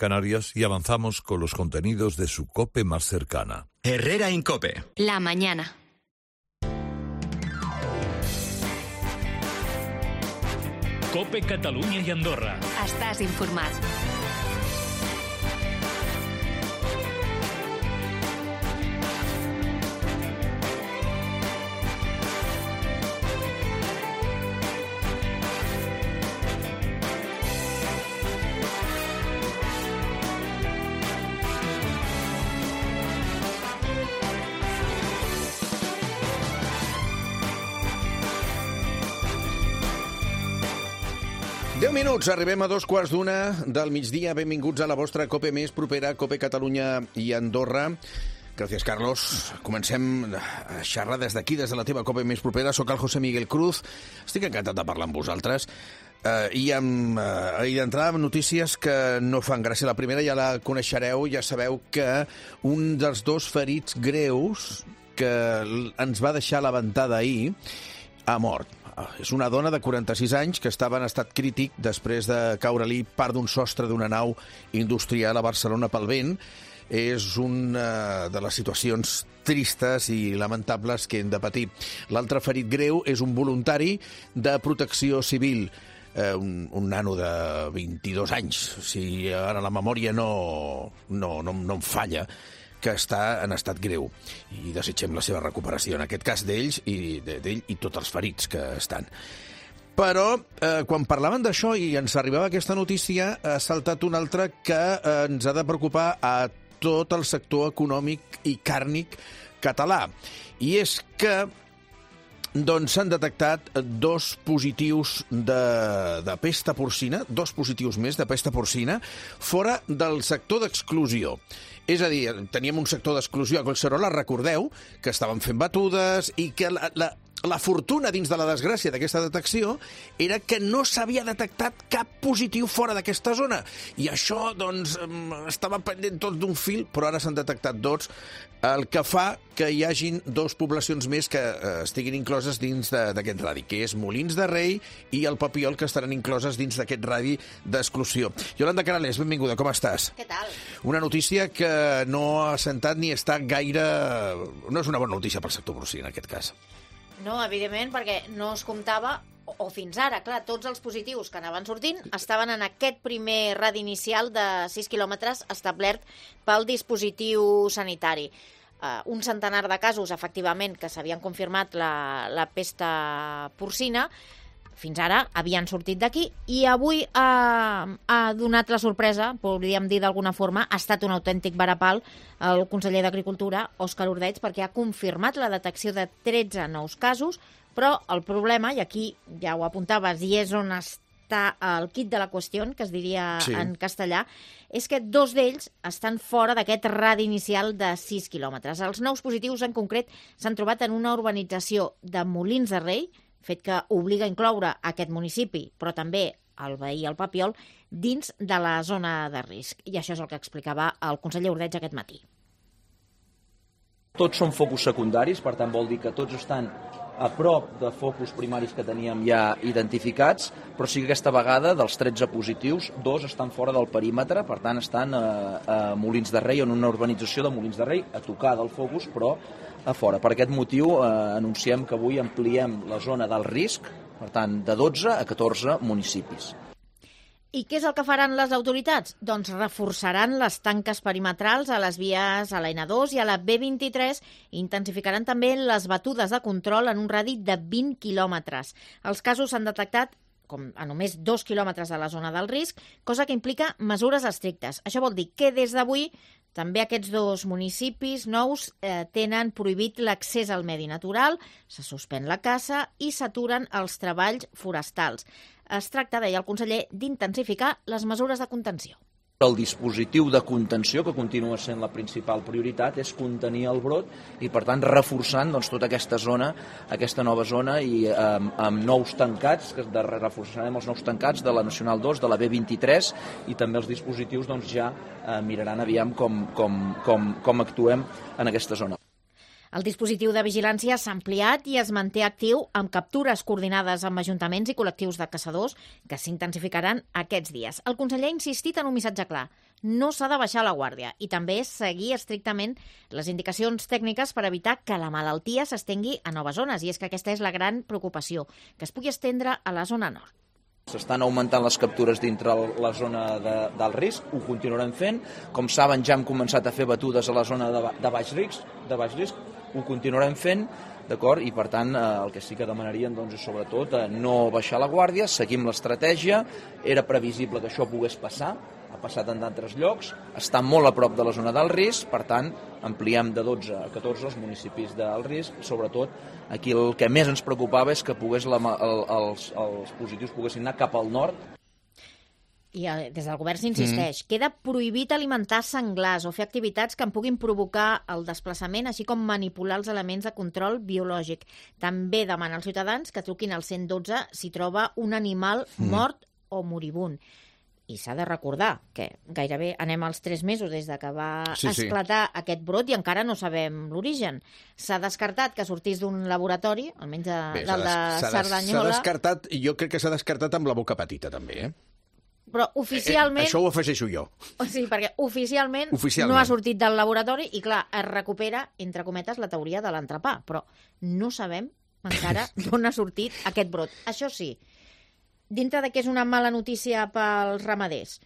Canarias, y avanzamos con los contenidos de su COPE más cercana. Herrera Incope. La mañana. COPE Catalunya i Andorra. Estàs informat. Minuts, arribem a 2:15 del migdia. Benvinguts a la vostra COPE més propera, COPE Catalunya i Andorra. Gràcies, Carlos. Comencem a xerrar des d'aquí, des de la teva COPE més propera. Soc el José Miguel Cruz. Estic encantat de parlar amb vosaltres. I d'entrada amb notícies que no fan gràcia. La primera ja la coneixereu, ja sabeu que un dels dos ferits greus que ens va deixar la ventada ahir ha mort. És una dona de 46 anys que estava en estat crític després de caure-li part d'un sostre d'una nau industrial a Barcelona pel vent. És una de les situacions tristes i lamentables que hem de patir. L'altre ferit greu és un voluntari de protecció civil, un nano de 22 anys, si ara la memòria no em falla, que està en estat greu, i desitgem la seva recuperació, en aquest cas d'ell i tots els ferits que estan. Però, quan parlaven d'això i ens arribava aquesta notícia, ha saltat una altra que ens ha de preocupar a tot el sector econòmic i càrnic català. I és que s'han detectat dos positius de pesta porcina, dos positius més de pesta porcina, fora del sector d'exclusió. És a dir, teníem un sector d'exclusió a Collserola, recordeu, que estaven fent batudes i que la fortuna dins de la desgràcia d'aquesta detecció era que no s'havia detectat cap positiu fora d'aquesta zona. I això, estava pendent tot d'un fil, però ara s'han detectat dos, el que fa que hi hagin dos poblacions més que estiguin incloses dins d'aquest radi, que és Molins de Rei i el Papiol, que estaran incloses dins d'aquest radi d'exclusió. Yolanda Canales, benvinguda, com estàs? Què tal? Una notícia que no ha sentat ni està gaire... No és una bona notícia pel sector porcí, en aquest cas. No, evidentment, perquè no es comptava, o fins ara, clar, tots els positius que anaven sortint estaven en aquest primer radi inicial de 6 quilòmetres establert pel dispositiu sanitari. Un centenar de casos, efectivament, que s'havien confirmat la pesta porcina, fins ara havien sortit d'aquí, i avui ha donat la sorpresa, podríem dir d'alguna forma, ha estat un autèntic varapal el conseller d'Agricultura, Òscar Ordeig, perquè ha confirmat la detecció de 13 nous casos, però el problema, i aquí ja ho apuntaves, i és on està el quid de la qüestió, que es diria en castellà, és que dos d'ells estan fora d'aquest radi inicial de 6 quilòmetres. Els nous positius, en concret, s'han trobat en una urbanització de Molins de Rei, fet que obliga a incloure aquest municipi, però també el veí, el Papiol, dins de la zona de risc. I això és el que explicava el conseller Ordeig aquest matí. Tots són focus secundaris, per tant vol dir que tots estan a prop de focus primaris que teníem ja identificats, però sí que aquesta vegada, dels 13 positius, dos estan fora del perímetre, per tant estan a Molins de Rei, en una urbanització de Molins de Rei, a tocar del focus, però a fora. Per aquest motiu anunciem que avui ampliem la zona del risc, per tant, de 12 a 14 municipis. I què és el que faran les autoritats? Doncs reforçaran les tanques perimetrals a les vies a la N2 i a la B23 i intensificaran també les batudes de control en un radi de 20 quilòmetres. Els casos s'han detectat a només 2 quilòmetres de la zona del risc, cosa que implica mesures estrictes. Això vol dir que des d'avui també aquests dos municipis nous tenen prohibit l'accés al medi natural, se suspèn la caça i s'aturen els treballs forestals. Es tracta, deia el conseller, d'intensificar les mesures de contenció. El dispositiu de contenció, que continua sent la principal prioritat, és contenir el brot i, per tant, reforçant tota aquesta zona, aquesta nova zona, i amb nous tancats, que reforçarem els nous tancats de la Nacional 2, de la B23, i també els dispositius ja miraran aviam com actuem en aquesta zona. El dispositiu de vigilància s'ha ampliat i es manté actiu amb captures coordinades amb ajuntaments i col·lectius de caçadors que s'intensificaran aquests dies. El conseller ha insistit en un missatge clar. no s'ha de baixar la guàrdia i també seguir estrictament les indicacions tècniques per evitar que la malaltia s'estengui a noves zones. I és que aquesta és la gran preocupació, que es pugui estendre a la zona nord. S'estan augmentant les captures dintre la zona del risc, ho continuarem fent. Com saben, ja hem començat a fer batudes a la zona de baix risc, ho continuarem fent, d'acord? I per tant, el que sí que demanaríem és sobretot no baixar la guàrdia, seguim l'estratègia, era previsible que això pogués passar, ha passat en d'altres llocs, està molt a prop de la zona del risc, per tant, ampliem de 12 a 14 els municipis del risc, sobretot aquí el que més ens preocupava és que els positius poguessin anar cap al nord. I des del govern s'insisteix, queda prohibit alimentar senglars o fer activitats que en puguin provocar el desplaçament, així com manipular els elements de control biològic. També demana als ciutadans que truquin al 112 si troba un animal mort o moribund. I s'ha de recordar que gairebé anem als 3 mesos des de que va esclatar aquest brot i encara no sabem l'origen. S'ha descartat que sortís d'un laboratori, almenys del de Cerdanyola. S'ha descartat, i jo crec que s'ha descartat amb la boca petita, també, Però oficialment... Això ho afegeixo jo. Sí, perquè oficialment no ha sortit del laboratori i, clar, es recupera, entre cometes, la teoria de l'entrepà, però no sabem encara d'on ha sortit aquest brot. Això sí, dintre de que és una mala notícia pels ramaders,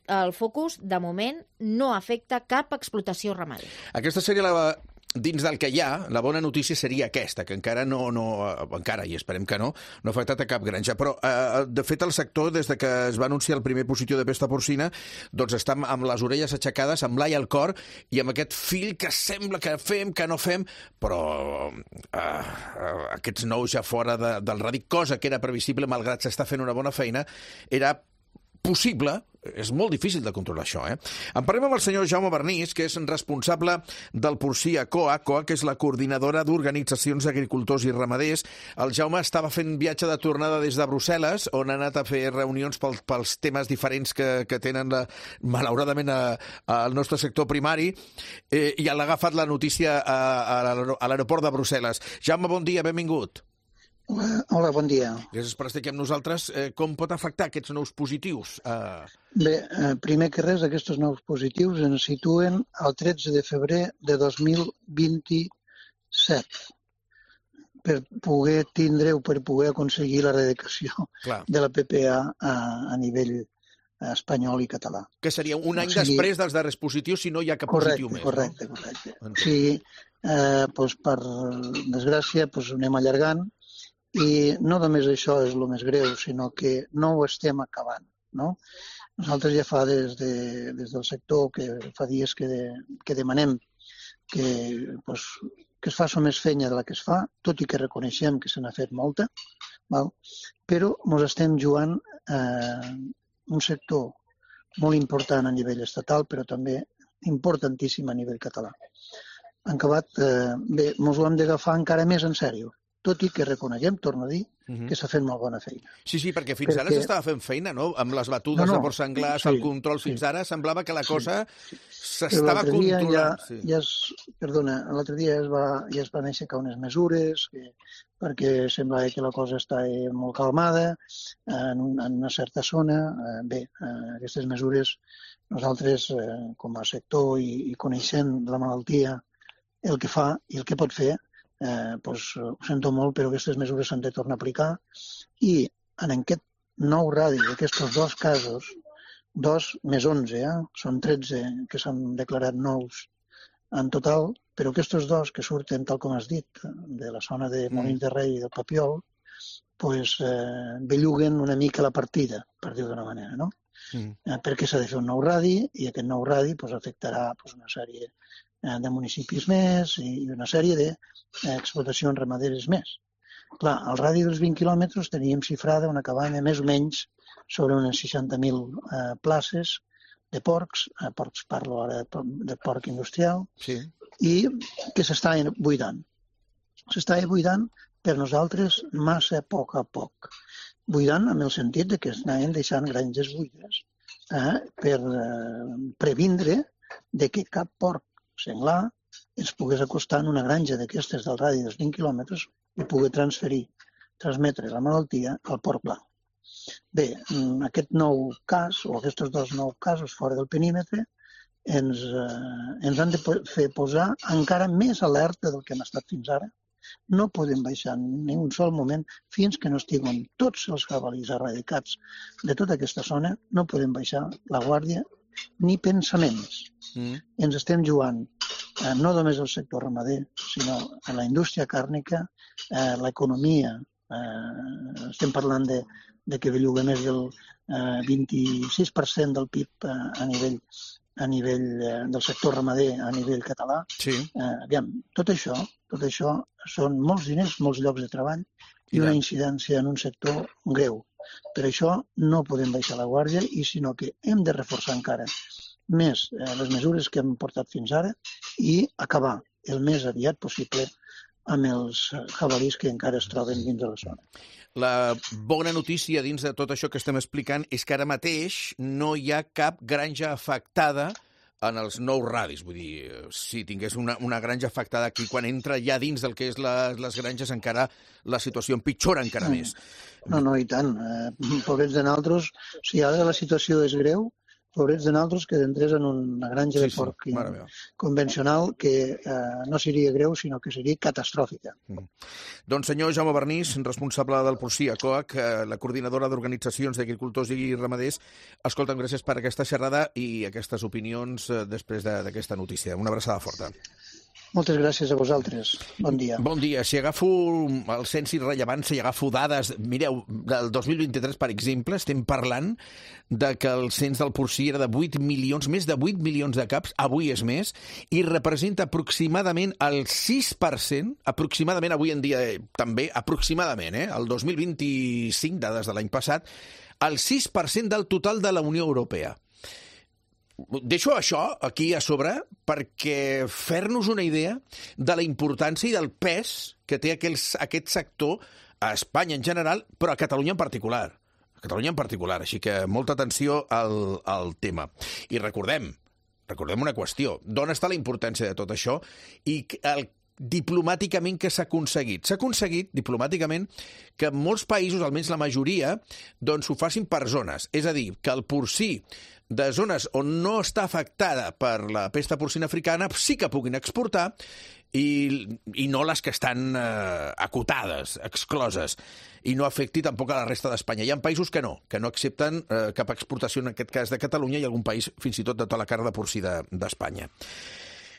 el focus, de moment, no afecta cap explotació ramadera. Aquesta seria dins del que hi ha, la bona notícia seria aquesta, que encara encara, i esperem que no ha afectat a cap granja. Però, de fet, el sector, des de que es va anunciar el primer positiu de pesta porcina, doncs està amb les orelles aixecades, amb l'ai al cor, i amb aquest fil que sembla que fem, que no fem, però aquests nous ja fora del ràdic, cosa que era previsible, malgrat s'està fent una bona feina, era possible. És molt difícil de controlar això, En parlem amb el senyor Jaume Bernís, que és responsable del porcí a COA, que és la coordinadora d'organitzacions d'agricultors i ramaders. El Jaume estava fent viatge de tornada des de Brussel·les, on ha anat a fer reunions pels temes diferents que tenen, malauradament, al nostre sector primari, i ha agafat la notícia a l'aeroport de Brussel·les. Jaume, bon dia, benvingut. Hola, bon dia. Gràcies per estar aquí amb nosaltres. Com pot afectar aquests nous positius? Bé, primer que res, aquests nous positius ens situen el 13 de febrer de 2027 per poder tindre o per poder aconseguir l'erradicació de la PPA a nivell espanyol i català. Que seria un any després dels darrers positius si no hi ha cap positiu més. Correcte. Sí, per desgràcia, anem allargant. I no només això és el més greu, sinó que no ho estem acabant, no? Nosaltres ja fa des del sector, que fa dies que demanem que es faci més feina de la que es fa, tot i que reconeixem que se n'ha fet molta, però ens estem jugant un sector molt important a nivell estatal, però també importantíssim a nivell català. En acabat, bé, ens ho hem d'agafar encara més en sèrio, tot i que reconeguem, torno a dir, que s'ha fet molt bona feina. Sí, perquè fins ara s'estava fent feina, no? Amb les batudes de porcs senglars, el control fins ara, semblava que la cosa s'estava controlant. L'altre dia ja es van aixecar unes mesures perquè semblava que la cosa està molt calmada en una certa zona. Bé, aquestes mesures nosaltres, com a sector i coneixent la malaltia, el que fa i el que pot fer, ho sento molt, però aquestes mesures s'han de tornar a aplicar i en aquest nou radi d'aquests 2 casos, 2 més 11, són 13 que s'han declarat nous en total, però aquests 2 que surten, tal com has dit, de la zona de Molins de Rei i del Papiol, belluguen una mica la partida, per dir-ho d'una manera, no? Perquè s'ha de fer un nou radi i aquest nou radi afectarà una sèrie de municipis més i una sèrie d'explotacions ramaderes més. Clar, al radi dels 20 quilòmetres teníem xifrada una cabanya més o menys sobre unes 60.000 places de porcs parlo ara de porc industrial, i que s'està buidant. S'està buidant per nosaltres massa a poc. Buidant en el sentit que es anaven deixant granges buides per previndre que cap porc senglar ens pogués acostar en una granja d'aquestes del radi dels 20 quilòmetres i poder transmetre la malaltia al porc blanc. Bé, aquest nou cas, o aquests 2 nous casos fora del perímetre, ens han de fer posar encara més alerta del que hem estat fins ara. No podem baixar ni un sol moment fins que no estiguin tots els jabalís erradicats de tota aquesta zona. No podem baixar la guàrdia ni pensaments. Ens estem jugant no només el sector ramader, sinó a la indústria càrnica, l'economia. Estem parlant de que belluga més del 26% del PIB a nivell del sector ramader a nivell català. Sí. Aviam, tot això són molts diners, molts llocs de treball i una incidència en un sector greu. Per això no podem baixar la guàrdia i sinó que hem de reforçar encara més les mesures que hem portat fins ara i acabar el més aviat possible amb els jabalís que encara es troben dins de la zona. La bona notícia dins de tot això que estem explicant és que ara mateix no hi ha cap granja afectada en els nous radis. Vull dir, si tingués una granja afectada aquí, quan entra ja dins del que és les granges, encara la situació empitjora encara més. No, i tant. Pobrets de nosaltres, si ara la situació és greu, pobrets de nosaltres que entrés en una granja de porc convencional que no seria greu, sinó que seria catastròfica. Doncs senyor Jaume Vernís, responsable del porcí a COAC, la coordinadora d'organitzacions d'agricultors i ramaders, escolta'm, gràcies per aquesta xerrada i aquestes opinions després d'aquesta notícia. Una abraçada forta. Moltes gràcies a vosaltres. Bon dia. Bon dia. Si agafo el cens i rellevància i agafo dades, mireu, del 2023, per exemple, estem parlant de que el cens del porcí era de 8 milions, més de 8 milions de caps, avui és més, i representa aproximadament el 6%, aproximadament, avui en dia també, aproximadament, el 2025, dades de l'any passat, el 6% del total de la Unió Europea. Deixo això aquí a sobre perquè fer-nos una idea de la importància i del pes que té aquest sector a Espanya en general, però a Catalunya en particular. A Catalunya en particular, així que molta atenció al tema. I recordem una qüestió. D'on està la importància de tot això i diplomàticament que s'ha aconseguit? S'ha aconseguit diplomàticament que en molts països, almenys la majoria, doncs ho facin per zones. És a dir, que el porcí de zones on no està afectada per la pesta porcina africana sí que puguin exportar i no les que estan acotades, excloses, i no afecti tampoc a la resta d'Espanya. Hi ha països que no accepten cap exportació, en aquest cas de Catalunya, i algun país fins i tot de tota la carn de porcí d'Espanya.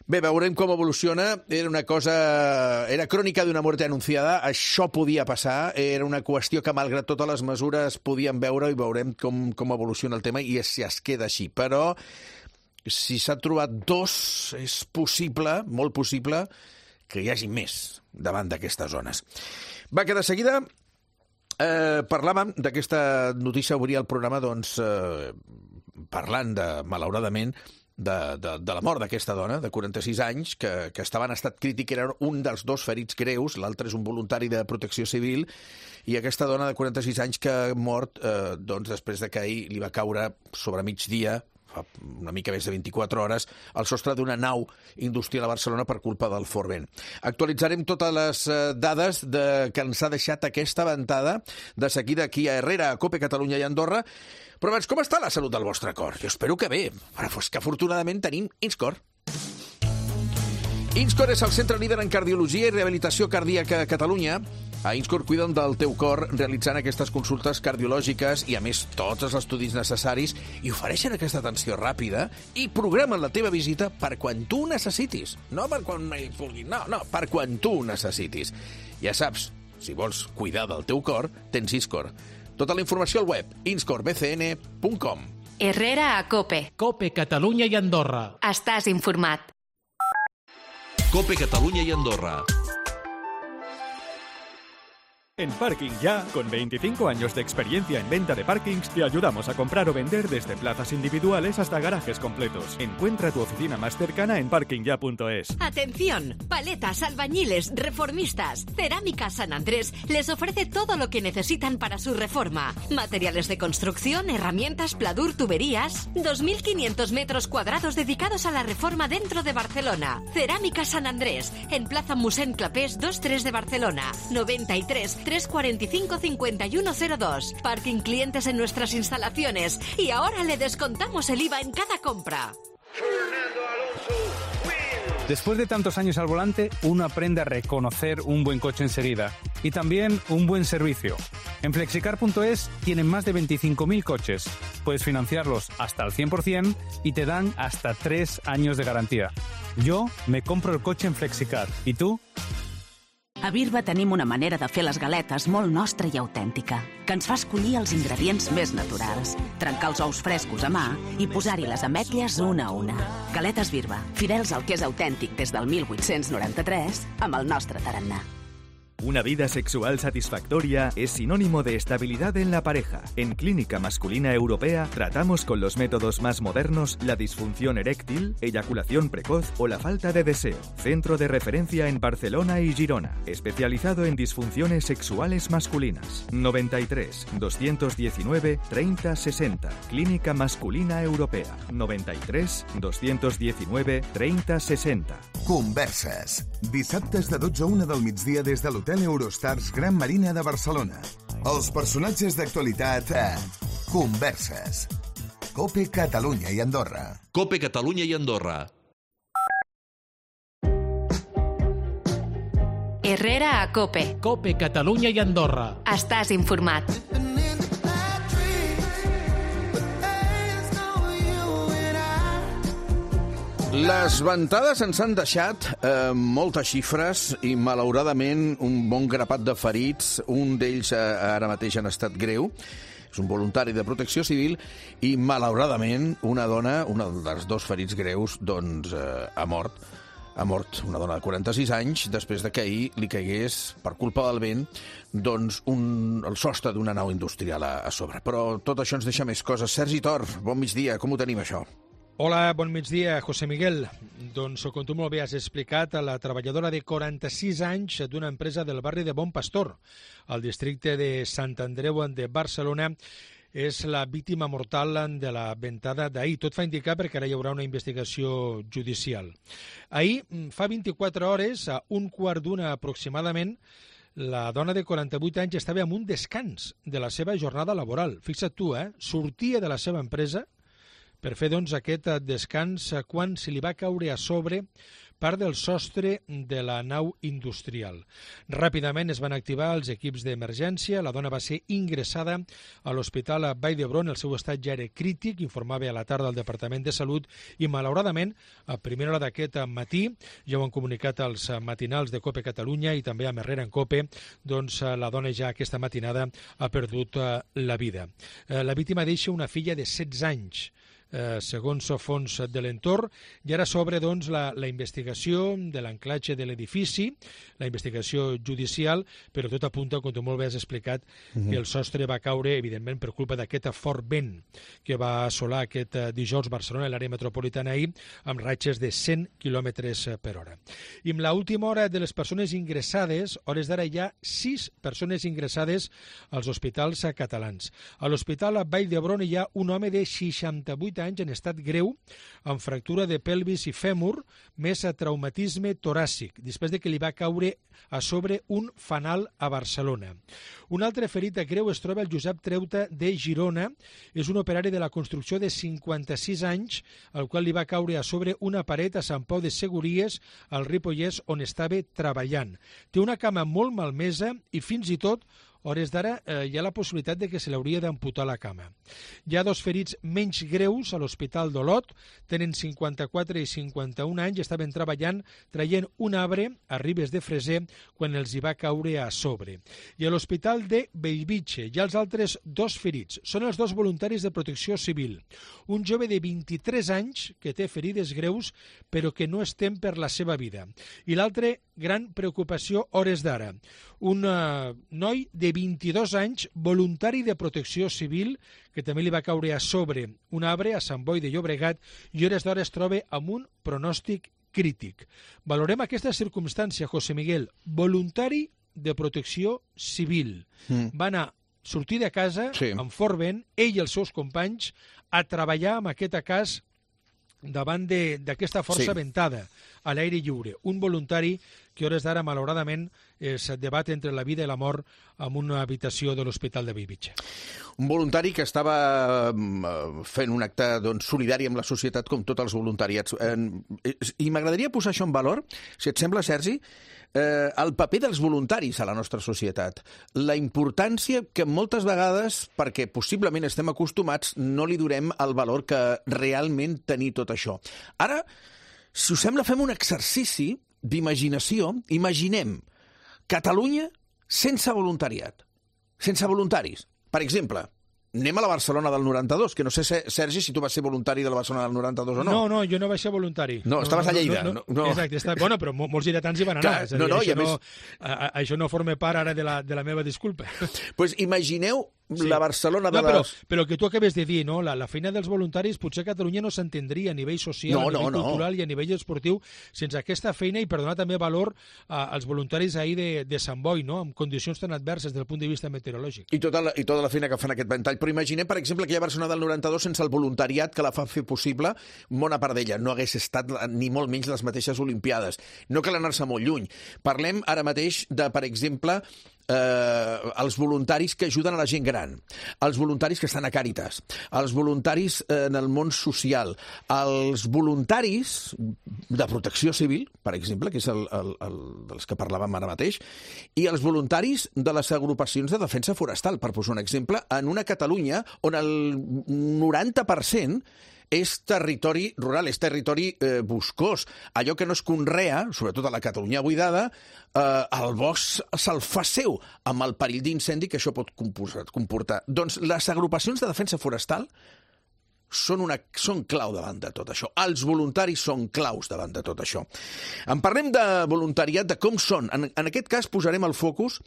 Bé, veurem com evoluciona. Era crònica d'una mort anunciada. Això podia passar. Era una qüestió que, malgrat totes les mesures, podíem veure i veurem com evoluciona el tema i si es queda així. Però si s'ha trobat 2, és possible, molt possible, que hi hagi més davant d'aquestes zones. Va, que de seguida parlàvem d'aquesta notícia, obria el programa, doncs, parlant malauradament, de la mort d'aquesta dona, de 46 anys, que estava en estat crític, era un dels 2 ferits greus, l'altre és un voluntari de protecció civil, i aquesta dona de 46 anys que ha mort doncs, després de que ahir li va caure sobre migdia, fa una mica més de 24 hores, al sostre d'una nau industrial a Barcelona per culpa del fort vent. Actualitzarem totes les dades que ens ha deixat aquesta ventada de seguida aquí a Herrera, a COPE Catalunya i Andorra. Però abans, com està la salut del vostre cor? Jo espero que bé, però és que afortunadament tenim Inscor. Inscor és el centre líder en cardiologia i rehabilitació cardíaca a Catalunya. A Inscor cuiden del teu cor realitzant aquestes consultes cardiològiques i, a més, tots els estudis necessaris i ofereixen aquesta atenció ràpida i programen la teva visita per quan tu ho necessitis. No per quan mai vulguis, no, per quan tu ho necessitis. Ja saps, si vols cuidar del teu cor, tens Inscor. Tota la informació al web inscorbcn.com. Herrera a COPE. COPE Catalunya i Andorra. Estàs informat. COPE Catalunya y Andorra. En Parking Ya, con 25 años de experiencia en venta de parkings, te ayudamos a comprar o vender desde plazas individuales hasta garajes completos. Encuentra tu oficina más cercana en parkingya.es. Atención, paletas, albañiles, reformistas. Cerámica San Andrés les ofrece todo lo que necesitan para su reforma. Materiales de construcción, herramientas, pladur, tuberías. 2.500 metros cuadrados dedicados a la reforma dentro de Barcelona. Cerámica San Andrés, en Plaza Mossèn Clapés 23 de Barcelona. 93 93 45 51 02. Parking clientes en nuestras instalaciones. Y ahora le descontamos el IVA en cada compra. Después de tantos años al volante, uno aprende a reconocer un buen coche enseguida y también un buen servicio. En Flexicar.es tienen más de 25.000 coches. Puedes financiarlos hasta el 100% y te dan hasta 3 años de garantía. Yo me compro el coche en Flexicar. ¿Y tú? A Birba tenim una manera de fer les galetes molt nostra i autèntica, que ens fa escollir els ingredients més naturals, trencar els ous frescos a mà i posar-hi les ametlles una a una. Galetes Birba, fidels al que és autèntic des del 1893, amb el nostre tarannà. Una vida sexual satisfactoria es sinónimo de estabilidad en la pareja. En Clínica Masculina Europea tratamos con los métodos más modernos la disfunción eréctil, eyaculación precoz o la falta de deseo. Centro de referencia en Barcelona y Girona, especializado en disfunciones sexuales masculinas. 93 219 30 60. Clínica Masculina Europea. 93 219 30 60. Converses. Dissabtes de 12 a 1 del migdia des de l'Hotel Eurostars Gran Marina de Barcelona. Els personatges d'actualitat a Converses. COPE Catalunya i Andorra. COPE Catalunya i Andorra. Herrera a COPE. COPE Catalunya i Andorra. Estàs informat. Les ventades ens han deixat moltes xifres i, malauradament, un bon grapat de ferits. Un d'ells ara mateix en estat greu. És un voluntari de Protecció Civil i, malauradament, una dona, un dels 2 ferits greus, doncs ha mort. Ha mort una dona de 46 anys després de que ahir li caigués, per culpa del vent, doncs el sostre d'una nau industrial a sobre. Però tot això ens deixa més coses. Sergi Tor, bon migdia. Com ho tenim, això? Hola, bon migdia, José Miguel. Doncs, com tu molt bé has explicat, la treballadora de 46 anys d'una empresa del barri de Bon Pastor, al districte de Sant Andreu de Barcelona, és la víctima mortal de la ventada d'ahir. Tot fa indicar perquè ara hi haurà una investigació judicial. Ahir, fa 24 hores, a 1:15 aproximadament, la dona de 48 anys estava en un descans de la seva jornada laboral. Fixa't tu, sortia de la seva empresa per fer doncs, aquest descans quan se li va caure a sobre part del sostre de la nau industrial. Ràpidament es van activar els equips d'emergència, la dona va ser ingressada a l'Hospital Vall d'Hebron, el seu estat ja era crític, informava a la tarda el Departament de Salut, i malauradament, a primera hora d'aquest matí, ja ho han comunicat els matinals de COPE Catalunya i també a Herrera en COPE, doncs la dona ja aquesta matinada ha perdut la vida. La víctima deixa una filla de 16 anys, segons fons de l'entorn, i ara s'obre doncs, la investigació de l'anclatge de l'edifici, la investigació judicial, però tot apunta, com tu molt bé has explicat, que el sostre va caure, evidentment, per culpa d'aquest fort vent que va assolar aquest dijous Barcelona, l'àrea metropolitana ahir, amb ratxes de 100 km per hora. I amb l'última hora de les persones ingressades, hores d'ara hi ha 6 persones ingressades als hospitals catalans. A l'Hospital Vall d'Hebron hi ha un home de 68 anys en estat greu, amb fractura de pelvis i fèmur, més traumatisme toràcic, després de que li va caure a sobre un fanal a Barcelona. Un altre ferit greu es troba el Josep Treuta de Girona, és un operari de la construcció de 56 anys, al qual li va caure a sobre una paret a Sant Pau de Segúries, al Ripollès, on estava treballant. Té una cama molt malmesa i fins i tot hores d'ara hi ha la possibilitat de que se l'hauria d'amputar la cama. Hi ha 2 ferits menys greus a l'Hospital d'Olot, tenen 54 i 51 anys, estaven treballant traient un arbre a Ribes de Freser quan els hi va caure a sobre. I a l'Hospital de Bellvitge hi ha els altres 2 ferits. Són els 2 voluntaris de Protecció Civil. Un jove de 23 anys que té ferides greus però que no es tem per la seva vida. I l'altre, gran preocupació hores d'ara. Un noi de 22 anys, voluntari de Protecció Civil, que també li va caure a sobre un arbre a Sant Boi de Llobregat i hores d'hora es troba amb un pronòstic crític. Valorem aquesta circumstància, José Miguel. Voluntari de Protecció Civil. Va anar, sortir de casa amb fort vent, ell i els seus companys, a treballar en aquest cas davant d'aquesta força ventada a l'aire lliure. Un voluntari que a hores d'ara, malauradament, es debat entre la vida i la mort en una habitació de l'Hospital de Bellvitge. Un voluntari que estava fent un acte solidari amb la societat com tots els voluntariats. I m'agradaria posar això en valor, si et sembla, Sergi, el paper dels voluntaris a la nostra societat. La importància que moltes vegades, perquè possiblement estem acostumats, no li donem el valor que realment tenir tot això. Ara, si us sembla, fem un exercici d'imaginació. Imaginem Catalunya sense voluntariat, sense voluntaris. Per exemple, anem a la Barcelona del 92, que no sé, Sergi, si tu vas ser voluntari de la Barcelona del 92 o no. No, jo no vaig ser voluntari. No, estaves a Lleida. No. Exacte, bueno, però molts lleidatans hi van anar. Això no forma part ara de la meva disculpa. Pues imagineu la Barcelona de les... Però el que tu acabes de dir, no? La feina dels voluntaris potser a Catalunya no s'entendria a nivell social, a nivell cultural i a nivell esportiu sense aquesta feina, i per donar també valor als voluntaris ahir de Sant Boi, no? Amb condicions tan adverses des del punt de vista meteorològic. I tota la feina que fan aquest ventall. Però imaginem, per exemple, aquella Barcelona del 92 sense el voluntariat que la fa fer possible, bona part d'ella no hagués estat ni molt menys les mateixes Olimpiades. No cal anar-se molt lluny. Parlem ara mateix de, per exemple, els voluntaris que ajuden a la gent gran, els voluntaris que estan a Càritas, els voluntaris en el món social, els voluntaris de protecció civil, per exemple, que és dels que parlàvem ara mateix, i els voluntaris de les agrupacions de defensa forestal, per posar un exemple, en una Catalunya on el 90% és territori rural, és territori boscós. Allò que no es conrea, sobretot a la Catalunya buidada, el bosc se'l fa seu, amb el perill d'incendi que això pot comportar. Doncs les agrupacions de defensa forestal són clau davant de tot això. Els voluntaris són claus davant de tot això. En parlem de voluntariat, de com són. En aquest cas posarem el focus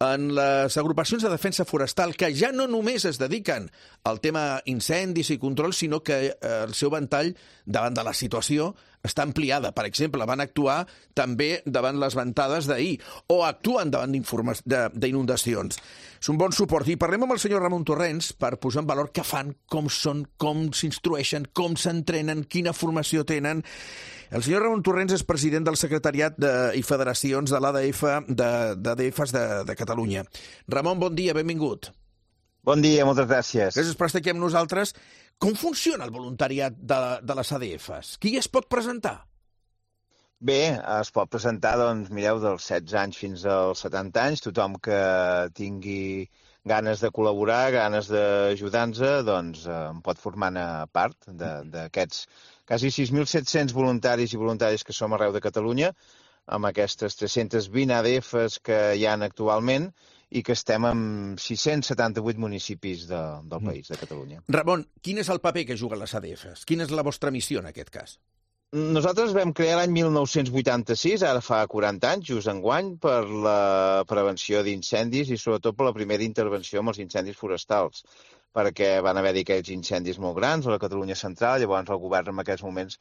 en les agrupacions de defensa forestal que ja no només es dediquen al tema incendis i control, sinó que el seu ventall davant de la situació està ampliada. Per exemple, van actuar també davant les ventades d'ahir o actuen davant d'inundacions. És un bon suport. I parlem amb el senyor Ramon Torrents per posar en valor què fan, com són, com s'instrueixen, com s'entrenen, quina formació tenen. El senyor Ramon Torrents és president del secretariat i federacions de l'ADFs de Catalunya. Ramon, bon dia, benvingut. Bon dia, moltes gràcies. Gràcies per estar aquí amb nosaltres. Com funciona el voluntariat de les ADFs? Qui es pot presentar? Bé, es pot presentar, doncs, mireu, dels 16 anys fins als 70 anys. Tothom que tingui ganes de col·laborar, ganes d'ajudar-nos, doncs en pot formar-ne part d'aquests quasi 6.700 voluntaris i voluntàries que som arreu de Catalunya, amb aquestes 320 ADFs que hi ha actualment, i que estem en 678 municipis del país, de Catalunya. Ramon, quin és el paper que juguen les ADFs? Quina és la vostra missió en aquest cas? Nosaltres vam crear l'any 1986, ara fa 40 anys, just enguany, per la prevenció d'incendis i sobretot per la primera intervenció amb els incendis forestals, perquè van haver-hi aquells incendis molt grans a la Catalunya central, llavors el govern en aquells moments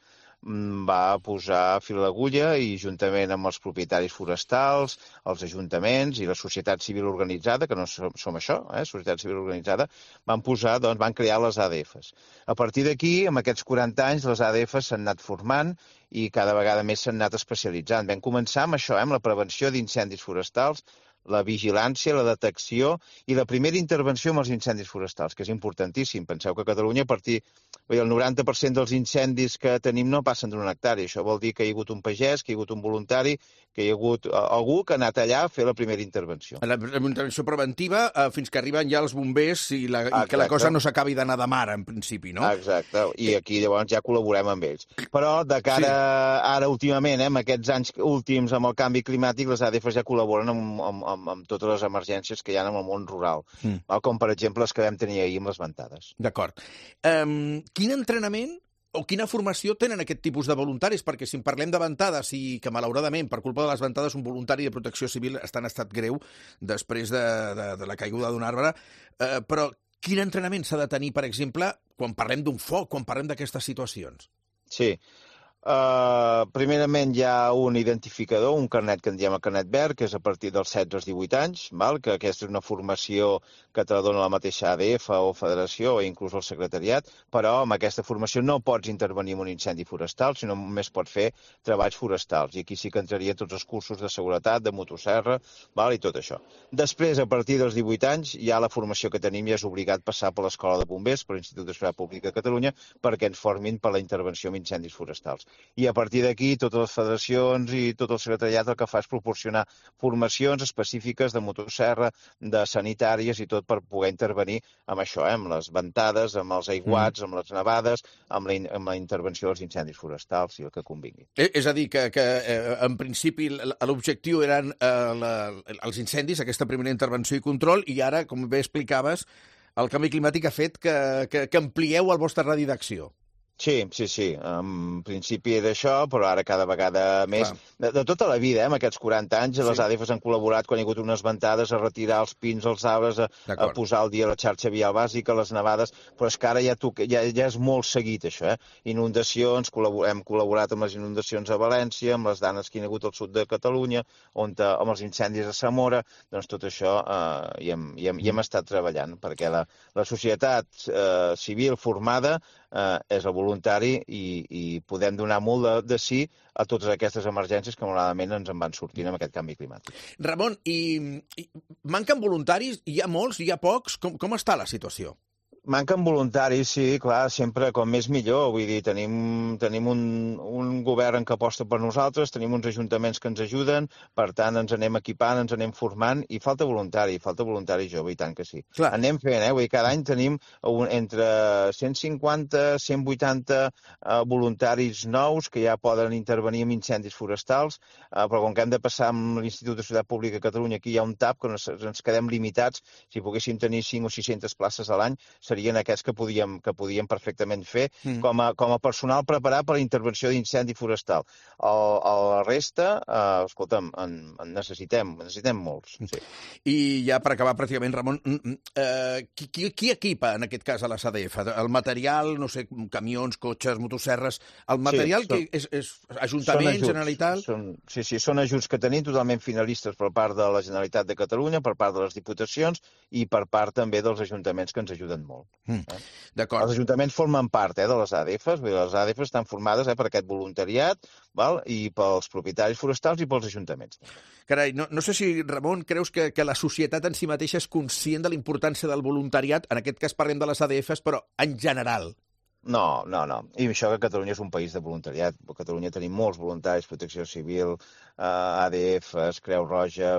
va posar fil a l'agulla i juntament amb els propietaris forestals, els ajuntaments i la societat civil organitzada, que no som això, societat civil organitzada, van crear les ADFs. A partir d'aquí, amb aquests 40 anys, les ADFs s'han anat formant i cada vegada més s'han anat especialitzant. Vam començar amb això, amb la prevenció d'incendis forestals, la vigilància, la detecció i la primera intervenció amb els incendis forestals, que és importantíssim. Penseu que a Catalunya, a partir el 90% dels incendis que tenim no passen d'una hectàrea. Això vol dir que hi ha hagut un pagès, que hi ha hagut un voluntari, que hi ha hagut algú que ha anat allà a fer la primera intervenció. La intervenció preventiva fins que arriben ja els bombers i que la cosa no s'acabi d'anar de mar, en principi, no? Exacte, i aquí llavors ja col·laborem amb ells. Però de cara ara últimament, amb aquests anys últims amb el canvi climàtic, les ADFs ja col·laboren amb totes les emergències que hi ha en el món rural, com per exemple les que vam tenir ahir amb les ventades. D'acord. Quin entrenament o quina formació tenen aquest tipus de voluntaris? Perquè si en parlem de ventades i que malauradament per culpa de les ventades un voluntari de protecció civil està en estat greu després de la caiguda d'un arbre, però quin entrenament s'ha de tenir, per exemple, quan parlem d'un foc, quan parlem d'aquestes situacions? Sí. Primerament hi ha un identificador, un carnet que en diem el carnet verd, que és a partir dels 16 als 18 anys, que aquesta és una formació que te la dona la mateixa ADF o federació o inclús el secretariat, però amb aquesta formació no pots intervenir en un incendi forestal, sinó només pots fer treballs forestals. I aquí sí que entraria tots els cursos de seguretat, de motosserra, i tot això. Després, a partir dels 18 anys, ja la formació que tenim ja és obligat passar per l'Escola de Bombers, per l'Institut de Seguretat Pública de Catalunya, perquè ens formin per la intervenció en incendis forestals. I a partir d'aquí, totes les federacions i tot el secretariat el que fa és proporcionar formacions específiques de motosserra, de sanitàries i tot per poder intervenir amb això, amb les ventades, amb els aiguats, amb les nevades, amb la intervenció dels incendis forestals i el que convingui. És a dir, que en principi l'objectiu eren els incendis, aquesta primera intervenció i control, i ara, com bé explicaves, el canvi climàtic ha fet que amplieu el vostre radi d'acció. Sí. En principi era això, però ara cada vegada més. De tota la vida, amb aquests 40 anys, les ADFs han col·laborat quan hi ha hagut unes ventades a retirar els pins, els arbres, a posar al dia la xarxa vial bàsica, les nevades, però és que ara ja és molt seguit, això. Inundacions, hem col·laborat amb les inundacions a València, amb les danes que hi ha hagut al sud de Catalunya, amb els incendis a Zamora, doncs tot això hi hem estat treballant, perquè la societat civil formada és el voluntari i podem donar molt de sí a totes aquestes emergències que malauradament ens en van sortint amb aquest canvi climàtic. Ramon, i manquen voluntaris? Hi ha molts? Hi ha pocs? Com està la situació? Manquen voluntaris, sí, clar, sempre com més millor. Vull dir, tenim un govern que aposta per nosaltres, tenim uns ajuntaments que ens ajuden, per tant, ens anem equipant, ens anem formant, i falta voluntari jove, i tant que sí. Clar. Anem fent, vull dir, cada any tenim entre 150 i 180 voluntaris nous que ja poden intervenir en incendis forestals, però com que hem de passar amb l'Institut de Seguretat Pública de Catalunya, aquí hi ha un tap que ens quedem limitats. Si poguéssim tenir 5 o 600 places a l'any, serien aquests que podíem perfectament fer com a personal preparat per a la intervenció d'incendi forestal. La resta, escolta'm, en necessitem molts. Sí. I ja per acabar, pràcticament, Ramon, qui equipa, en aquest cas, a les ADF? El material, no sé, camions, cotxes, motosserres, el material que és Ajuntament, Generalitat? Sí, són ajuts que tenim totalment finalistes per part de la Generalitat de Catalunya, per part de les diputacions i per part també dels ajuntaments que ens ajuden molt. D'acord. Els ajuntaments formen part de les ADFs, les ADFs estan formades per aquest voluntariat i pels propietaris forestals i pels ajuntaments. Carai, no sé si, Ramon, creus que la societat en si mateixa és conscient de la importància del voluntariat, en aquest cas parlem de les ADFs, però en general. No. I això que Catalunya és un país de voluntariat. A Catalunya tenim molts voluntaris, Protecció Civil, ADFs, Creu Roja.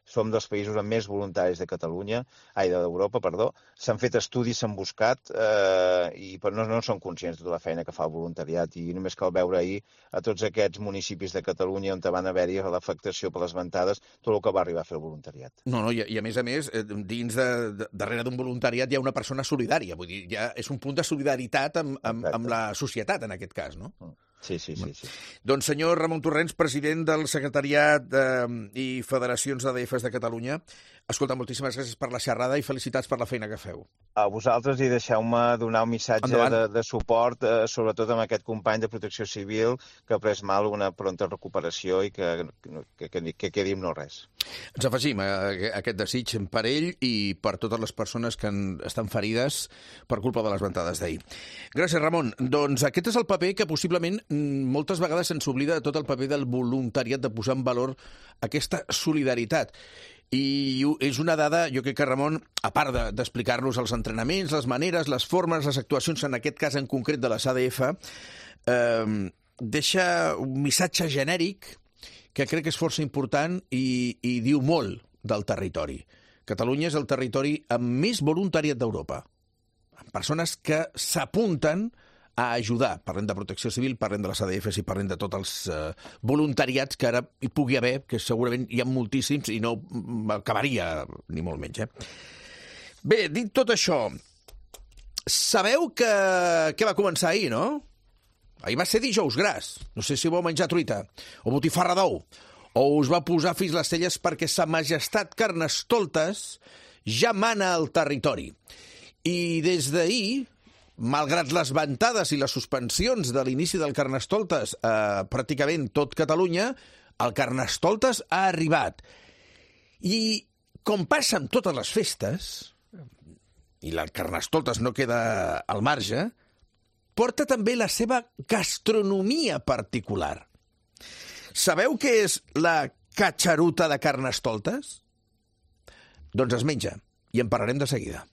Som dels països amb més voluntaris d'Europa, perdó. S'han fet estudis, s'han buscat, però no són conscients de tota la feina que fa el voluntariat. I només cal veure ahir a tots aquests municipis de Catalunya on van haver-hi l'afectació per les ventades, tot el que va arribar a fer el voluntariat. No, i a més, dins darrere d'un voluntariat hi ha una persona solidària. Vull dir, ja és un punt de solidaritat amb la societat, en aquest cas, no? Sí. Doncs, senyor Ramon Torrents, president del Secretariat i Federacions d'ADFs de Catalunya, escolta, moltíssimes gràcies per la xerrada i felicitats per la feina que feu. A vosaltres, i deixeu-me donar un missatge de suport, sobretot amb aquest company de Protecció Civil que ha pres mal, una pronta recuperació i que quedi amb no res. Ens afegim a aquest desig per ell i per totes les persones que estan ferides per culpa de les ventades d'ahir. Gràcies, Ramon. Doncs aquest és el paper que possiblement moltes vegades se'ns oblida de tot el paper del voluntariat, de posar en valor aquesta solidaritat. I és una dada, jo crec que Ramon, a part d'explicar-nos els entrenaments, les maneres, les formes, les actuacions, en aquest cas en concret de les ADF, deixa un missatge genèric que crec que és força important i diu molt del territori. Catalunya és el territori amb més voluntariat d'Europa. Persones que s'apunten a ajudar. Parlem de Protecció Civil, parlem de les ADFs i parlem de tots els voluntariats que ara hi pugui haver, que segurament hi ha moltíssims i no acabaria ni molt menys. Bé, dit tot això, sabeu que va començar ahir, no? Ahir va ser dijous gras. No sé si vau menjar truita o botifarra d'ou, o us va posar fins les celles perquè Sa Majestat Carnestoltes ja mana al territori. I des d'ahir malgrat les ventades i les suspensions de l'inici del Carnestoltes pràcticament tot Catalunya, el Carnestoltes ha arribat. I com passa amb totes les festes, i el Carnestoltes no queda al marge, porta també la seva gastronomia particular. Sabeu què és la catxaruta de Carnestoltes? Doncs es menja, i en parlarem de seguida.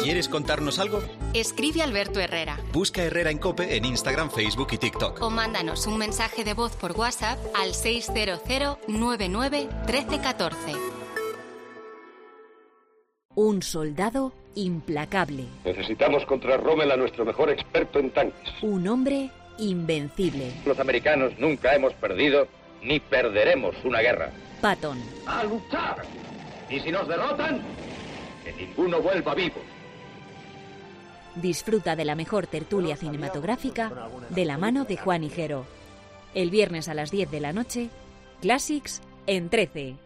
¿Quieres contarnos algo? Escribe a Alberto Herrera. Busca Herrera en COPE en Instagram, Facebook y TikTok. O mándanos un mensaje de voz por WhatsApp al 600 99 13 14. Un soldado implacable. Necesitamos contra Rommel a nuestro mejor experto en tanques. Un hombre invencible. Los americanos nunca hemos perdido ni perderemos una guerra. Patton. ¡A luchar! Y si nos derrotan, que ninguno vuelva vivo. Disfruta de la mejor tertulia cinematográfica de la mano de Juan Higuero. El viernes a las 10 de la noche, Classics en 13.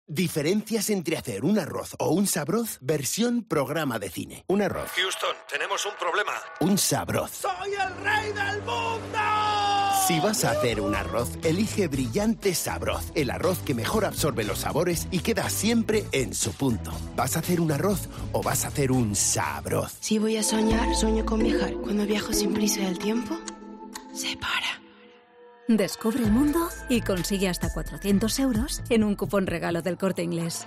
Diferencias entre hacer un arroz o un sabroz versión programa de cine. Un arroz. Houston, tenemos un problema. Un sabroz. ¡Soy el rey del mundo! Si vas a hacer un arroz, elige Brillante Sabroz, el arroz que mejor absorbe los sabores y queda siempre en su punto. ¿Vas a hacer un arroz o vas a hacer un sabroz? Si voy a soñar, sueño con viajar. Cuando viajo sin prisa del tiempo, se para. Descubre el mundo y consigue hasta 400 euros en un cupón regalo del Corte Inglés.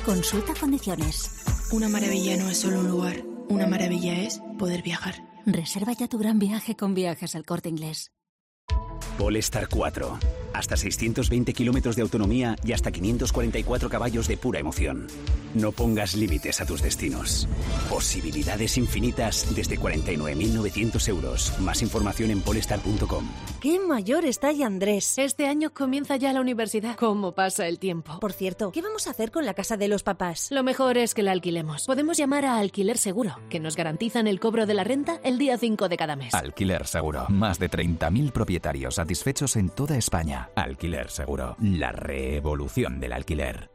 Consulta condiciones. Una maravilla no es solo un lugar. Una maravilla es poder viajar. Reserva ya tu gran viaje con Viajes al Corte Inglés. Polestar 4. Hasta 620 kilómetros de autonomía y hasta 544 caballos de pura emoción. No pongas límites a tus destinos. Posibilidades infinitas desde 49.900 euros. Más información en polestar.com. ¡Qué mayor está ya Andrés! Este año comienza ya la universidad. ¿Cómo pasa el tiempo? Por cierto, ¿qué vamos a hacer con la casa de los papás? Lo mejor es que la alquilemos. Podemos llamar a Alquiler Seguro, que nos garantizan el cobro de la renta el día 5 de cada mes. Alquiler Seguro. Más de 30.000 propietarios satisfechos en toda España. Alquiler Seguro. La revolución del alquiler.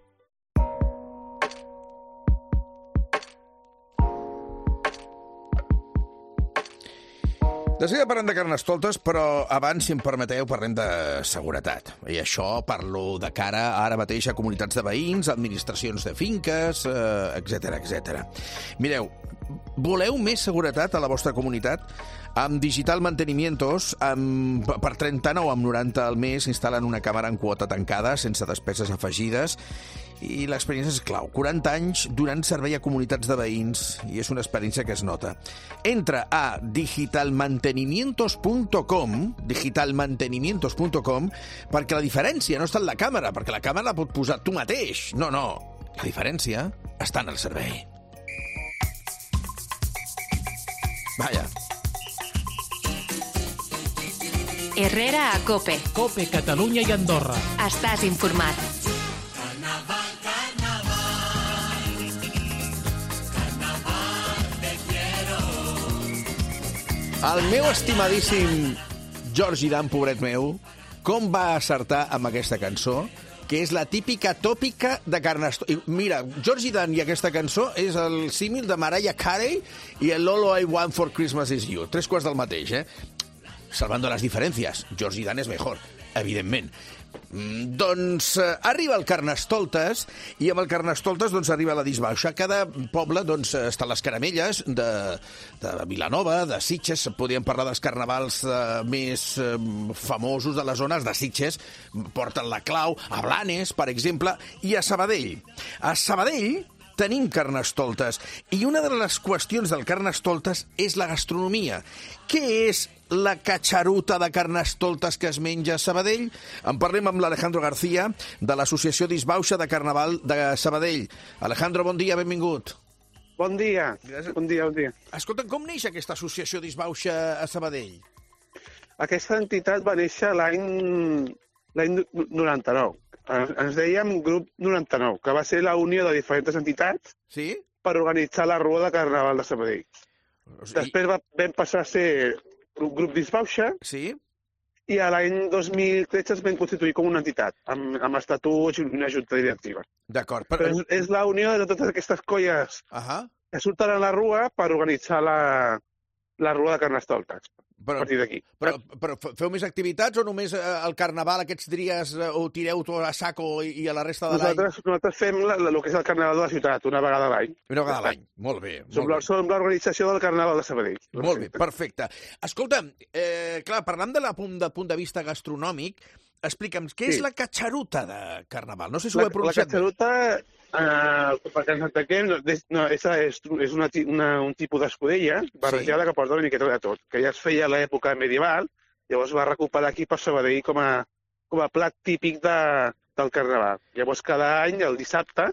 De seguida parlem de Carnestoltes, però abans, si em permeteu, parlem de seguretat. I això parlo de cara ara mateix a comunitats de veïns, administracions de finques, etc etc. Mireu, voleu més seguretat a la vostra comunitat? Amb Digital Mantenimientos, per 39,90 al mes, instal·len una càmera en quota tancada, sense despeses afegides, i l'experiència és clau. 40 anys donant servei a comunitats de veïns, i és una experiència que es nota. Entra a digitalmantenimientos.com, perquè la diferència no està en la càmera, perquè la càmera la pot posar tu mateix. No, no. La diferència està en el servei. Vaja. Herrera a COPE. COPE, Catalunya i Andorra. Estàs informat. El meu estimadíssim Georgie Dan, pobret meu, com va acertar amb aquesta cançó, que és la típica tòpica de Carnestoltes. Mira, Georgie Dan i aquesta cançó és el símil de Mariah Carey i el All I Want for Christmas is You. 3 quarts del mateix, Salvando las diferencias. Georgie Dan és mejor, evidentment. Doncs arriba el Carnestoltes i amb el Carnestoltes arriba la disbauxa. Cada poble està a les caramelles de Vilanova, de Sitges. Podríem parlar dels carnavals més famosos de les zones de Sitges. Porten la clau a Blanes, per exemple, i a Sabadell. A Sabadell tenim Carnestoltes i una de les qüestions del Carnestoltes és la gastronomia. Què és la catxaruta de Carnestoltes que es menja a Sabadell? En parlem amb l'Alejandro García, de l'Associació Disbauxa de Carnaval de Sabadell. Alejandro, bon dia, benvingut. Bon dia, bon dia. Escolta, com neix aquesta associació Disbauxa a Sabadell? Aquesta entitat va néixer l'any 99. Ens dèiem Grup 99, que va ser la unió de diferents entitats per organitzar la Rua de Carnaval de Sabadell. Després vam passar a ser Grup Disbauxa i a l'any 2013 es vam constituir com una entitat, amb estatuts i una junta directiva. D'acord. Però és la unió de totes aquestes colles que surten a la rua per organitzar la rua de Carnestoltes. A partir d'aquí. Però feu més activitats o només el carnaval aquests dies ho tireu tot a saco i a la resta de l'any? Nosaltres fem el que és el carnaval de la ciutat, una vegada a l'any. Una vegada a l'any, molt bé. Som l'organització del carnaval de Sabadell. Molt bé, perfecte. Escolta, clar, parlant del punt de vista gastronòmic, explica'm, què és la catxaruta de carnaval? No sé si ho he pronunciat bé. La catxaruta, perquè ens entenguem, és un tipus d'escudella barrejada que porta una miqueta de tot, que ja es feia a l'època medieval, llavors va recuperar aquí per Sabadell com a plat típic del carnaval. Llavors cada any, el dissabte,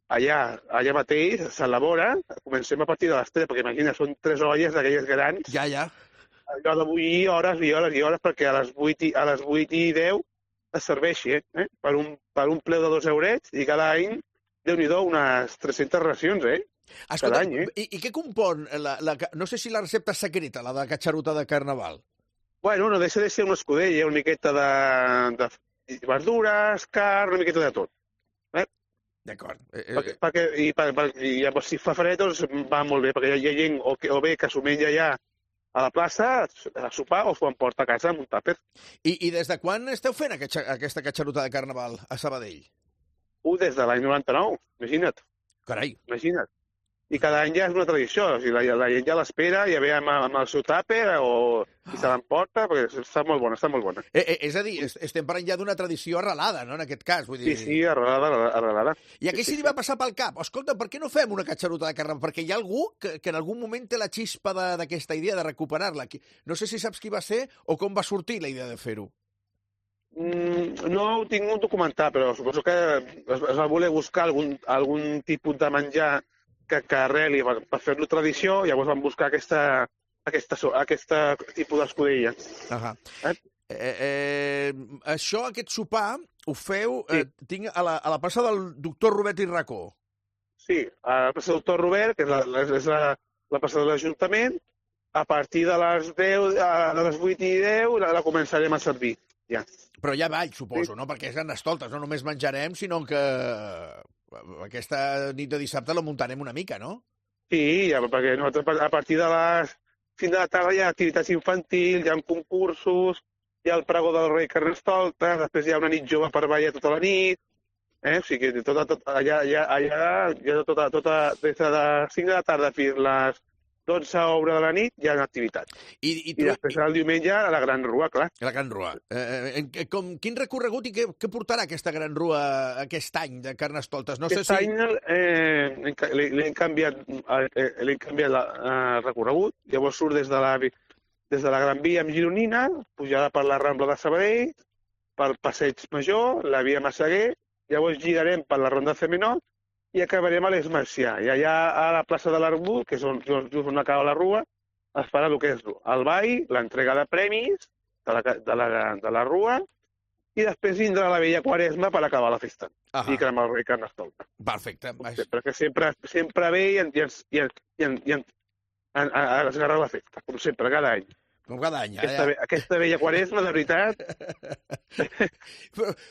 allà mateix s'elabora, comencem a partir de les 3, perquè imagina, són 3 olles d'aquelles grans. Ja. Allò de bullir hores i hores i hores perquè a les 8 i 10 es serveixi, per un preu de 2 eurets i cada any, Déu-n'hi-do, unes 300 racions, Escolta, cada any, I què compon? No sé si la recepta és secreta, la de catxaruta de carnaval. Bueno, no deixa de ser una escudella, una miqueta de verdures, carn, una miqueta de tot. D'acord. I llavors, si fa fred, doncs va molt bé, perquè hi ha gent o bé que s'ho menja ja a la plaça, a sopar, o s'ho emporta a casa amb un tàper. I des de quan esteu fent aquesta catxaruta de carnaval a Sabadell? Des de l'any 99, imagina't. Carai. Imagina't. I cada any ja és una tradició. O sigui, la gent ja l'espera, ja ve amb el seu tàper i se l'emporta, perquè està molt bona, està molt bona. És a dir, estem parlant ja d'una tradició arrelada, no?, en aquest cas. Vull dir... Sí, arrelada. I a què se li va passar pel cap? Escolta, per què no fem una catxaruta de carnaval? Perquè hi ha algú que en algun moment té la xispa d'aquesta idea de recuperar-la. No sé si saps qui va ser o com va sortir la idea de fer-ho. No ho tinc documentat, però suposo que es va voler buscar algun tipus de menjar que arreli per fer-lo tradició, llavors van buscar aquest tipus d'escudella. Aquest sopar ho feu, tinc a la plaça del doctor Robert i Racó. Sí, a la plaça del doctor Robert, que és la plaça de l'Ajuntament, a partir de les 8 i 10 la començarem a servir, ja. Però ja ball, suposo, no? Perquè és Carnestoltes, no només menjarem, sinó que aquesta nit de dissabte la muntarem una mica, no? Sí, perquè a partir de les 5 de la tarda hi ha activitats infantils, hi ha concursos, hi ha el pregó del rei Carnestoltes, després hi ha una nit jove per ballar tota la nit, o sigui, des de les 5 de la tarda fins a les 12 a obra de la nit hi ha activitat. I després el diumenge a la Gran Rua, clar. La Gran Rua. Quin recorregut i què portarà aquesta Gran Rua aquest any de Carnestoltes? Aquest any l'hem canviat el recorregut, llavors surt des de la Gran Via amb Gironina, pujada per la Rambla de Sabadell, pel Passeig Major, la Via Massaguer, llavors girarem per la Ronda C Menor i acabarem a l'Esmercià. I allà a la plaça de l'Arbut, que és just on acaba la rua, es farà el que és el ball, l'entrega de premis de la rua, i després vindrà la vella Quaresma per acabar la festa. I cremar el rei Carnestoltes. Perfecte. Perquè sempre ve i esgarra la festa, com sempre, cada any. Com cada any. Aquesta vella Quaresma, de veritat.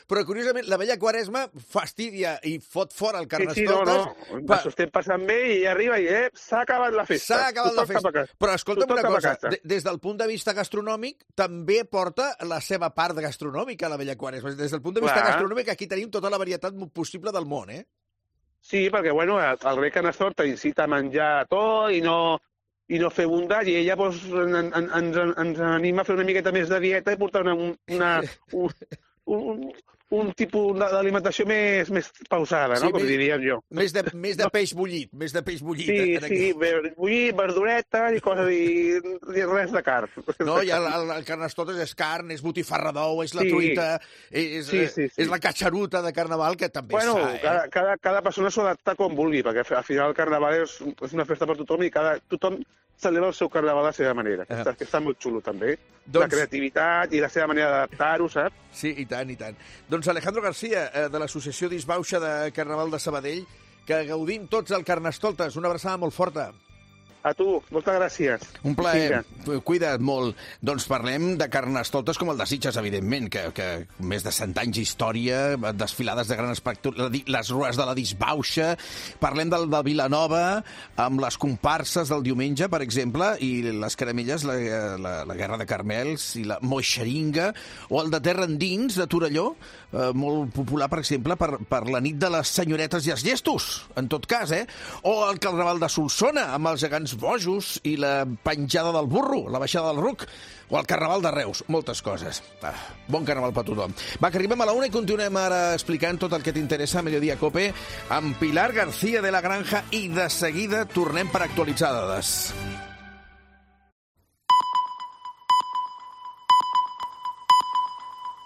Però curiosament, la vella Quaresma fastidia i fot fora el Carnestoltes. Sí, no. S'ho estem passant bé i arriba i s'ha acabat la festa. S'ha acabat la festa. Però escolta'm una cosa, des del punt de vista gastronòmic, també porta la seva part gastronòmica, la vella Quaresma. Des del punt de vista gastronòmic, aquí tenim tota la varietat possible del món, Sí, perquè, bueno, el rei Carnestoltes incita a menjar tot i no fer bondat, i ella ens anima a fer una miqueta més de dieta i portar un tipus d'alimentació més pausada, no? Com diríem jo. Més de peix bullit, Sí, bullit, verdureta i coses, i res de carn. No, i el Carnestoltes és carn, és botifarra d'ou, és la truita, és la catxaruta de carnaval, que també s'ha, cada persona s'ho adapta com vulgui, perquè al final el carnaval és una festa per tothom i tothom celebra el seu carnaval de la seva manera, que està molt xulo també. La creativitat i la seva manera d'adaptar-ho, saps? Sí, i tant, i tant. Doncs Alejandro García, de l'Associació Disbauxa de Carnaval de Sabadell, que gaudim tots el Carnestoltes. Una abraçada molt forta. A tu, moltes gràcies. Un plaer. Cuida't molt. Doncs parlem de carnestoltes com el de Sitges, evidentment, que més de 100 anys d'història, desfilades de gran espectacle, les rues de la Disbauxa. Parlem del de Vilanova, amb les comparses del diumenge, per exemple, i les caramelles, la Guerra de Carmels i la Moixeringa, o el de Terra Endins, de Torelló, molt popular, per exemple, per la nit de les senyoretes i els llestos, en tot cas, o el Carnaval de Solsona, amb els gegants bojos i la penjada del burro, la baixada del ruc, o el Carnaval de Reus, moltes coses. Bon Carnaval per tothom. Va, que arribem a la 1 i continuem ara explicant tot el que t'interessa a Mediodía Cope amb Pilar García de la Granja i de seguida tornem per actualitzar dades.